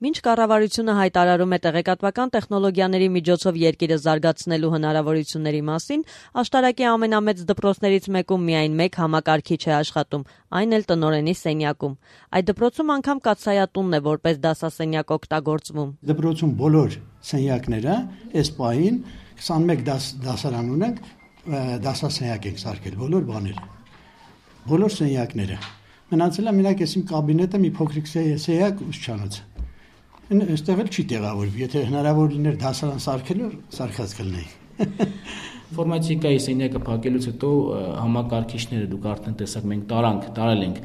Մինչ կառավարությունը հայտարարում է տեղեկատվական տեխնոլոգիաների միջոցով երկիրը զարգացնելու հնարավորությունների մասին, աշտարակի ամենամեծ դպրոցներից մեկում միայն մեկ համակարգիչ է աշխատում, այն էլ տնօրենի սենյակում։ Այդ դպրոցում անգամ կաթսայատունն է որպես դասասենյակ օգտագործվում։ Դպրոցում բոլոր սենյակները այս պահին 21 դասարան ունենք, դասասենյակ ենք սարքել, բոլոր բաները, բոլոր սենյակները։ Մնացել է մենակ այս իմ կաբինետը մի փոքրիկ սենյակ ուսուցչանոց։ Այստեղ էլ չի տեղավորվի, եթե հնարավոր լիներ դասարան սարքելու, սարքած կլինեի։ Ինֆորմատիկայի սենյակը փակելուց հետո համակարգիչները դուք արդեն տեսակ մենք տարել ենք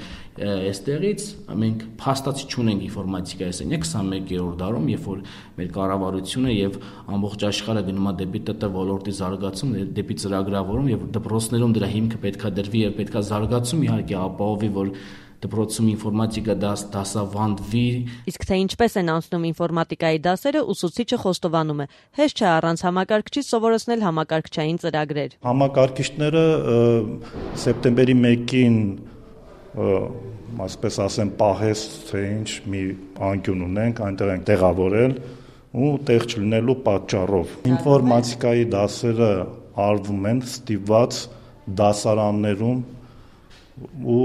այստեղից, մենք փաստացի չունենք ինֆորմատիկայի սենյակ 21-րդ դարում, երբ որ մեր կառավարությունը եւ ամբողջ աշխարհը գնում է դեպի ՏՏ ոլորտի զարգացում, դեպի ծրագրավորում եւ դպրոցներում դրա հիմքը պետքա դրվի եւ պետքա զարգացում իհարկե ապահովի, որ դպրոցում ինֆորմատիկա դասավանդվի։ Իսկ թե ինչպես են անցնում ինֆորմատիկայի դասերը, ուսուցիչը խոստովանում է. հեշտ չէ առանց համակարգչի սովորեցնել համակարգչային ծրագրեր։ Համակարգիչները սեպտեմբերի 1-ին, այսպես ասեմ, պահես թե ինչ մի անկյուն ունենք, այնտեղ ենք տեղավորել ու տեղ չլինելու պատճառով։ Ինֆորմատիկայի դասերը արվում են ստիպված դասարաններում ու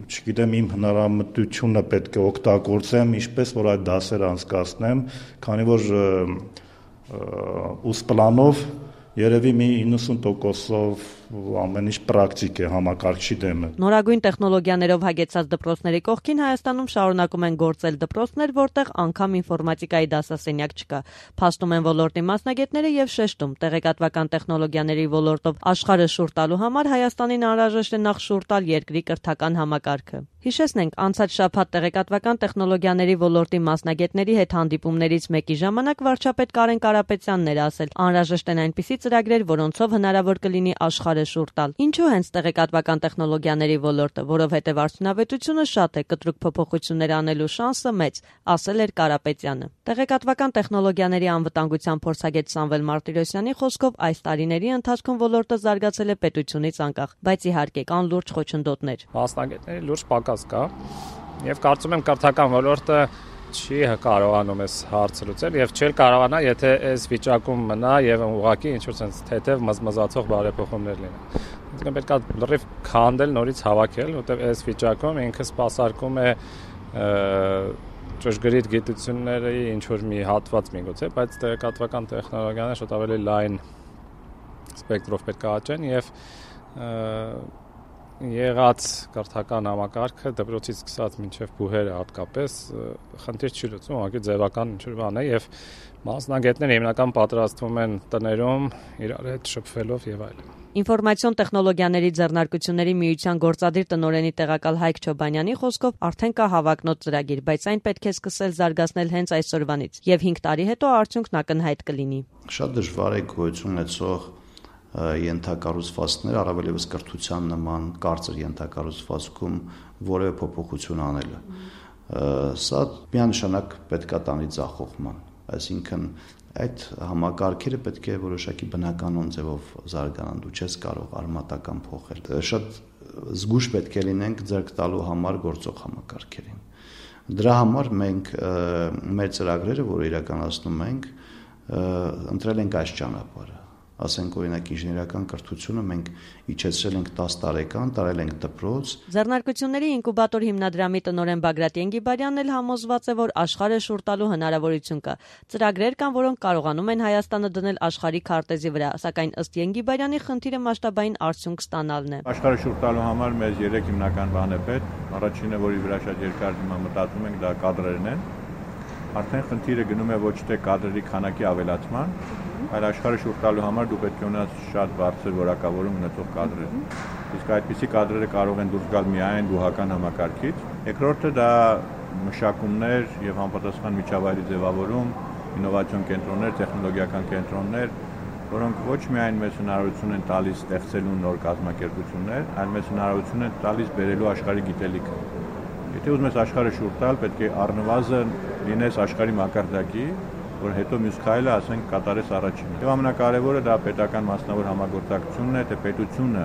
չգիտեմ իմ հնարամտությունը պետք է օգտագործեմ, ինչպես որ այդ դասերը անցկացնեմ, քանի որ ուսպլանով երևի մի 90%-ով ամեն ինչ պրակտիկ է համակարգչի դեմը։ Նորագույն տեխնոլոգիաներով հագեցած դպրոցների կողքին Հայաստանում շարունակում են գործել դպրոցներ, որտեղ անգամ ինֆորմատիկայի դասասենյակ չկա։ Փաստում են ոլորտի մասնագետները եւ շեշտում, տեղեկատվական տեխնոլոգիաների ոլորտով աշխարհը շուռ տալու համար Հայաստանին անհրաժեշտ է նախ շուռ տալ երկրի կրթական համակարգը։ Հիշեցնենք, անցած շաբաթ տեղեկատվական տեխնոլոգիաների ոլորտի մասնագետների հետ հանդիպումներից մեկի ժամանակ վարչապետ Կարեն Կարապետյանն էր ասել, անհրաժեշտ են այնպիսի ծրագրեր, որոնցով հնարավոր կլինի աշխարհը շուռ տալ։ Ինչու հենց տեղեկատվական տեխնոլոգիաների ոլորտը, որովհետև արդյունավետությունը շատ է, կտրուկ փոփոխություններ անելու շանսը մեծ, ասել էր Կարապետյանը։ Տեղեկատվական տեխնոլոգիաների անվտանգության փորձագետ Սամվել Մարտիրոսյանի խոսքով այս տարիների ընթացքում ոլորտը զարգացել է պետությունից անկախ, բայց իհարկե կան լուրջ խոչընդոտներ։ Մասնագետների լուրջ պակաս կա, եւ կարծում եմ կրթական ոլորտը չի կարողանում այս հարցը լուծել եւ չէր կարողանա, եթե այս վիճակում մնա եւ ուղղակի ինչ-որ sense թեթև մզմզացող բարեփոխումներ լինեն։ Այսինքն պետք է լրիվ քանդել, նորից հավաքել, որտեղ այս վիճակում ինքը սպասարկում է ճշգրիտ գիտությունների ինչ-որ մի հատված միգուցե, բայց տեղեկատվական տեխնոլոգիաները շատ ավելի լայն սպեկտրով պետք է աճեն եւ եղած կրթական համակարգը դպրոցից սկսած մինչև բուհերը հատկապես խնդիր չի լուծում, ուղղակի ձևական ինչ-որ բան է եւ մասնագետները հիմնական պատրաստվում են տներում իրար հետ շփվելով եւ այլն։ Ինֆորմացիոն տեխնոլոգիաների ձեռնարկությունների միության գործադիր տնօրենի տեղակալ Հայկ Չոբանյանի խոսքով արդեն կա հավակնոտ ծրագիր, բայց այն պետք է սկսել զարգացնել հենց այսօրվանից եւ 5 տարի հետո արդյունքն ակնհայտ կլինի։ Շատ դժվար է գոյություն ունեցող ենթակառուցվածքներ, առավել ևս կրթության նման կարծր ենթակառուցվածքում որևէ փոփոխություն անելը։ Սա միանշանակ պետք է տանի ձախողման, այսինքն այդ համակարգերը պետք է որոշակի բնականon ձևով զարգանան, դու չես կարող արմատական փոխել։ Շատ զգույշ պետք է լինենք ձեռք տալու համար գործող համակարգերին։ Դրա համար մենք մեր ծրագրերը, որը իրականացնում ենք, ընտրել ենք այս ճանապարհը։ Ասենք օրինակ ինժեներական կրթությունը մենք իջեցրել ենք 10 տարեկան, տարել ենք դպրոց։ Ձեռնարկությունների ինկուբատոր հիմնադրամի տնօրեն Բագրատ Ենգիբարյանն էլ համոզված է, որ աշխարհը շուռ տալու հնարավորություն կա։ Ծրագրեր կան, որոնք կարողանում են Հայաստանը դնել աշխարհի քարտեզի վրա, սակայն ըստ Ենգիբարյանի խնդիրը մասշտաբային արդյունք ստանալն է։ Աշխարհը շուռ տալու համար մեզ 3 հիմնական բան է պետք։ Առաջինը, որի վրա շատ երկար հիմա մտածում ենք, դա կադրերն են։ Արդեն խնդիրը գնում է ոչ թե կադրերի քանակի ավելացման, այլ աշխարհը շուռ տալու համար դու պետք է ունենաս շատ բարձր որակավորում ունեցող կադրեր։ Իսկ այդպիսի կադրերը կարող են դուրս գալ միայն բուհական համակարգից։ Երկրորդը դա մշակումներ եւ համապատասխան միջավայրի ձևավորում, ինովացիոն կենտրոններ, տեխնոլոգիական կենտրոններ, որոնք ոչ միայն մեզ հնարավորություն են տալիս ստեղծելու նոր կազմակերպություններ, այլ մեզ հնարավորություն են տալիս բերելու աշխարհի գիտելիքը։ Եթե ուզում ես աշխարհը շուռ տալ, պետք է առնվազն լինես աշխարհի մակարդակի, որ հետո մյուս քայլը, ասենք, կատարես առաջինը։ Եվ ամենակարևորը դա պետական մասնավոր համագործակցությունն է, թե պետությունը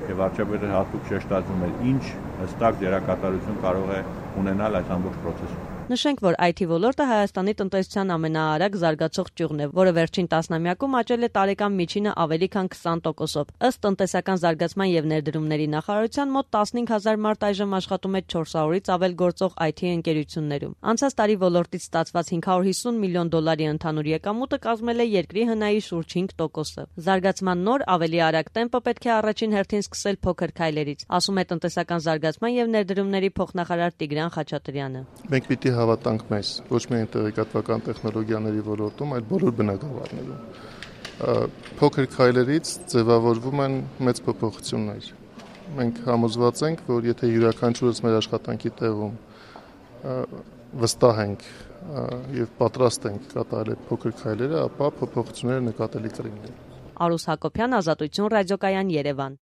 եւ վարչապետը հատուկ շեշտադրում է, ինչ հստակ դերակատարություն կարող է ունենալ այս ամբողջ process-ում։ Նշենք, որ IT ոլորտը Հայաստանի տնտեսության ամենաարագ զարգացող ճյուղն է, որը վերջին տասնամյակում աճել է տարեկան միջինը ավելի քան 20%-ով։ Ըստ տնտեսական զարգացման եւ ներդրումների նախարարության մոտ 15000 մարդ այժմ աշխատում է 400-ից ավել գործող IT ընկերություններում։ Անցած տարի ոլորտից ստացված $550 միլիոն ընդհանուր եկամուտը կազմել է երկրի հնայի շուրջ 5%-ը։ Զարգացման նոր ավելի արագ տեմպը պետք է առաջին հերթին սկսել փոքր քայլերից, ասում է տնտեսական զարգացման եւ ներդրումների փոխնախարար Տիգրան Խաչատրյանը։ Մենք պիտի հավատանք մեզ, ոչ միայն տեղեկատվական տեխնոլոգիաների ոլորտում, այլ բոլոր բնագավառներում։ Փոքր քայլերից ձևավորվում են մեծ փոփոխություններ։ Մենք համոզված ենք, որ եթե յուրաքանչյուրս մեր աշխատանքի տեղում վստահ ենք եւ պատրաստ ենք կատարել փոքր քայլերը, ապա փոփոխությունները նկատելի կլինեն։ Արուս Հակոբյան, Ազատություն ռադիոկայան, Երևան։